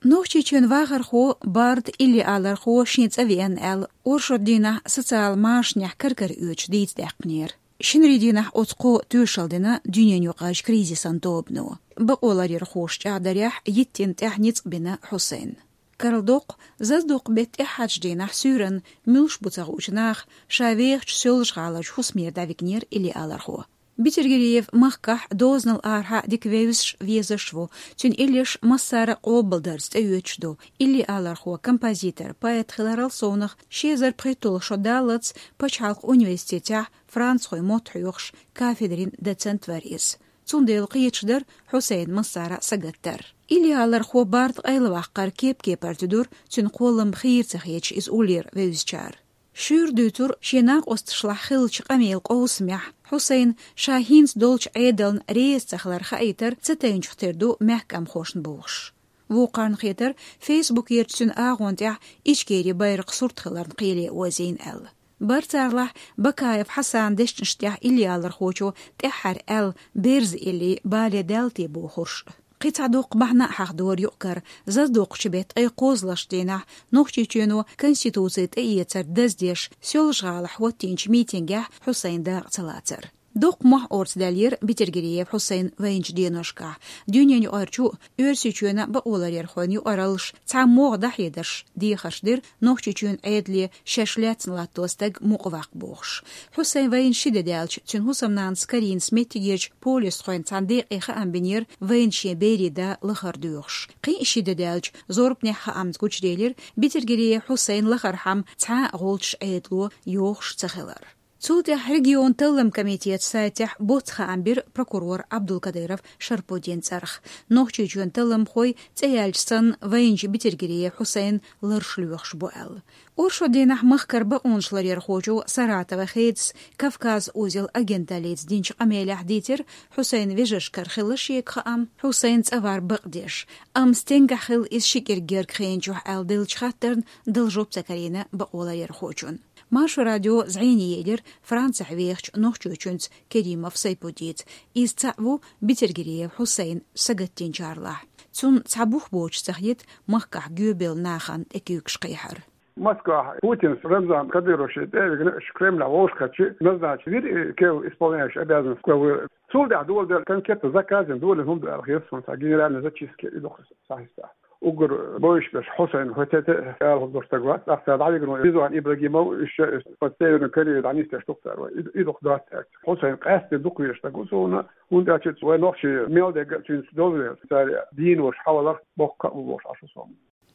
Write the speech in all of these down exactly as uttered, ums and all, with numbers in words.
Нохчийчоьнан вахархо, бард Илли Алархо шен цӀа веана аьлла, оршот дийнахь социал машанехь кар-кара оьцуш дийца даьккхинера. Шинарин дийнахь оцу кхо тоьшалла дина дуьненаюкъарчу кризисан тобано. Бакъоларъярхоша чӀагӀдарехь, йиттина тӀехь ницкъ бина Хьусайна. Карладоккху, зазадоккху беттан тӀаьххьарчу дийнахь суьйранна муьлш бу ца хуучу наха ша вехачу Соьлжа-ГӀаларчу хӀусамера дӀавигнера Илли Алархо. Бетергериев махкахь дозанал арахьа дика вевзаш, везаш ву. Цуьнан иллеш массара а къобалдарца тӀеоьцуш ду. Илли Алархо композитор, поэт хиларал совнах, ши эзар пхийтталгӀа шо даллалц пачхьалкхан университетехь францхойн мотт хьоьхуш кафедрин доцент вара иза. Цундела кхеташ дара Хьусайна массара а сагатдар. Илли Алархо бард къайлаваккхар кеп-кепара туьдура, цуьнан кхоллам хийра ца хеташ иза уллера вевзачара. Шуьйра дуьйцура шен накъосташлахь хиллачу къамелан къовсамехь, Хьусайна ша хӀинца долчу Ӏедална реза ца хилар хаийтар ца тайначух тера ду мехкамхошна бохуш. Вукхарна хетара, фейсбукерчу цуьнан агӀон тӀехь Ичкерин байракхан сурт хиларна кхеле озийна аьлла. Бара царлахь Бакаев Хьасанан дешнаш тӀехь Илли Алархочо тӀаьххьара аьлла, берза илли бале даьлла те бохурш. Кхин цхьа доккха бахьана а хьахдора юкъ-кара, зазадоккхучу беттан ткъе кхозлагӀчу дийнахь Нохчийчоьно Конституци тӀеэцар даздеш, Соьлжа-ГӀалахь хӀоттийначу митингехь Хьусайнан дакъа ца лацар. Доккха мохь орца даьллера Бетергериев Хьусайнан вайначу деношкахь. Дуьненаюкъарчу а, Оьрсийчоьнан а бакъоларъярхойн юкъараллаш цхьа могӀа дӀахьедарш дехарш дира, Нохчийчоьнан Ӏедале шаьш лаьцна латто стаг мукъаваккха бохуш. Хьусайн вайна ши де даьлча, цуьнан хӀусамнанас Каринас меттигерчу полисхойн цхьана декъе хаам бинера вайна шен берийн да лахара доьхуш. Кхин а ши де даьлча, зорбанехь хаамца гучуделира Бетергериев Хьусайнан лахархьама цхьа а гӀулчаш Ӏедало йохуш ца хилар. Цул тӀаьхьа регионан талламан комитетан сайтехь боцца хаам бира прокурор Абдулкадыров Шарпудинан цӀарах. Нохчийчоьнан талламхой цӀе яьлча санна вайначу Бетергериев Хьусайнан ларш лоьхуш бу аьлла. Оршот дийнахь махкара бакъонашларъярхочо Саратован хедас «Кавказ узел» агенталлица динчу къамелехь дийцира Хьусайнан вежаршкара хилла шега хаам, Хьусайн цӀа вар бакъдеш, амма стенгахь хилла иза ши кӀирг герга хенчохь аьлла деллачу хаттарна дала жоп ца карийна бакъоларъярхочунна. Маршо радио зӀене елира Францехь вехачу нохчочуьнца Керимов Сайпудица. Иза цхьаъ ву Бетергериев Хьусайна сагатдинчарлахь. Цунна цхьа бух боцуш ца хета махкахь гоьбелла нахана тӀекуьйгаш кхехьар. Москвахь Путинс Рамзан Кадыровс тӀе а вигна, уьш Кремлехь вовшахкхетча, назначить вира и кев исполняющий обязанности главы. Цул тӀаьхьа доладелла конкретно заказан долийна хӀума ду аьлла хета суна, цхьа генеральный зачистка и ду-кх сахьтехь. Уггар бовзаш берш Хьусайн хӀоьттина ала хӀума долуш стаг вац, тӀаккха цара дӀавигна Ризуан Ибрагимов, уьш под Северную Корею дӀанисдеш ду-кх цара вай. И, и ду-кх доцца аьлла. Хьусайн къаьсттина дукха везаш стаг ву суна, хӀунда аьлча вай нохчий мел дерг а цуьнца довза веза. Цара дийна волуш хьалхаларх боккха а бу бохуш Ӏаш ву со.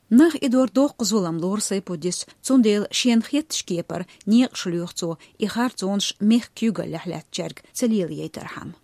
Нах идор доккха зулам лору Сайпудис, цундела шена хеттачу кепара некъаш лоьху цо, и харцонаш мехкан куьйгаллехь лаьттачаьрга ца лелаяйтархьама.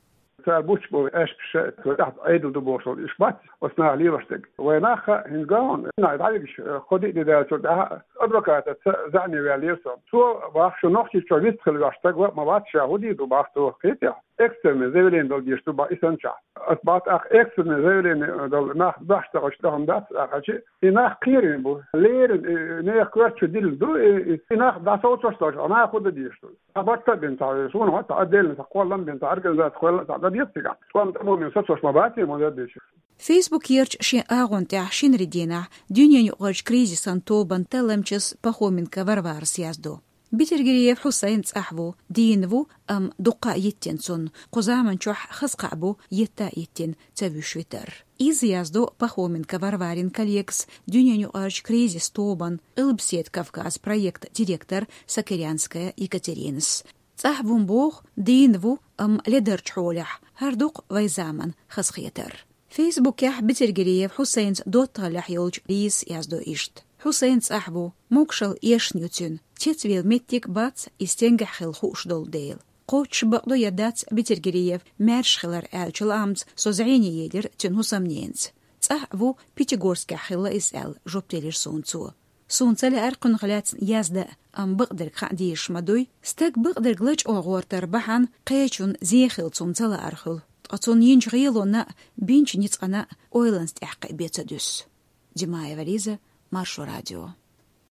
Цара буьтуш болу аьшпаш, тӀехь Ӏедал ду бохуш болу уьш бац, оцу наха лелош дерг. Вайн нах а хӀинца ган, нах дӀавигаш, кхо-диъ де даьллачул тӀаьхьа адвокатаца заьӀне ваьллера со. Цо боху, шу Нохчийчохь вист хила веш стаг ва, ма вац, ша хӀун дийр ду боху цо, кхетий хьо? Экстренное заявление дала дезаш ду боху и санна чохь. Ас боху, тӀаккха экстренное заявление дала нах дош ца хилча, тӀе хӀума дац аьлча, и нах кхерийна бу. Леррина, и нехан коьрта чу диллина ду, и, и, и нах дӀасовцош долчу, а наха хӀун дан дезаш ду? Цхьа барт а бина цхьа, суна хӀотта а деллина, цхьа кхоллам бина, цхьа организаци кхолла, цхьа дан деза цигахь. ТӀом тӀамомин сацош ма бац, ма дан дезаш. Фейсбукерчу шен агӀон тӀехь шинарин дийнахь дуьненаюкъарчу кризисан тобан талламчас Пахоменко Варварас яздо. Бетергериев Хьусайн цӀахь ву, дийна ву, амма дуккха а йиттина цунна, кху заман чохь хаза кхаъ бу, етта а йиттина, ца вуьйш витар. Иза яздо Пахоменко Варварин коллегас, дуьненаюкъарчу кризис тобан «Къилбаседа Кавказ» проектан директор Сокирянская Екатеринас. ЦӀахь ву-м боху, дийна ву, амма ледарчу хьолехь, хӀара ду-кх вайн заманан хазахетар. Фейсбукехь Бетергериев Хьусайнца доттагӀаллехь йолчу Лизас яздо иштта: «Хьусайн цӀахь ву, могушалла эшна ю цуьнан, цецвала меттиг бац, и стенгахь хилла хууш долу дела. Кхоччуш бакъду я дац Бетергериев маьрша хилар аьллачу лаамца со зӀене елира цуьнан хӀусамненца. ЦӀахь а ву, Пятигорскехь хилла иза», — аьлла, жоп делира суна цо. Суна ца лаьара кхунах лаьцна яздан, амма бакъдерг хаа дезаш ма дуй. Стаг бакъдерг лачкъо гӀортар бахьана кхечунна зен хилла цунна ца лаар хуьлу, ткъа цунна йинчу гӀелонна а, бинчу ницкъана а ойланца тӀехь кхиабе ца дуьсу. Димаева Лиза, Маршо радио.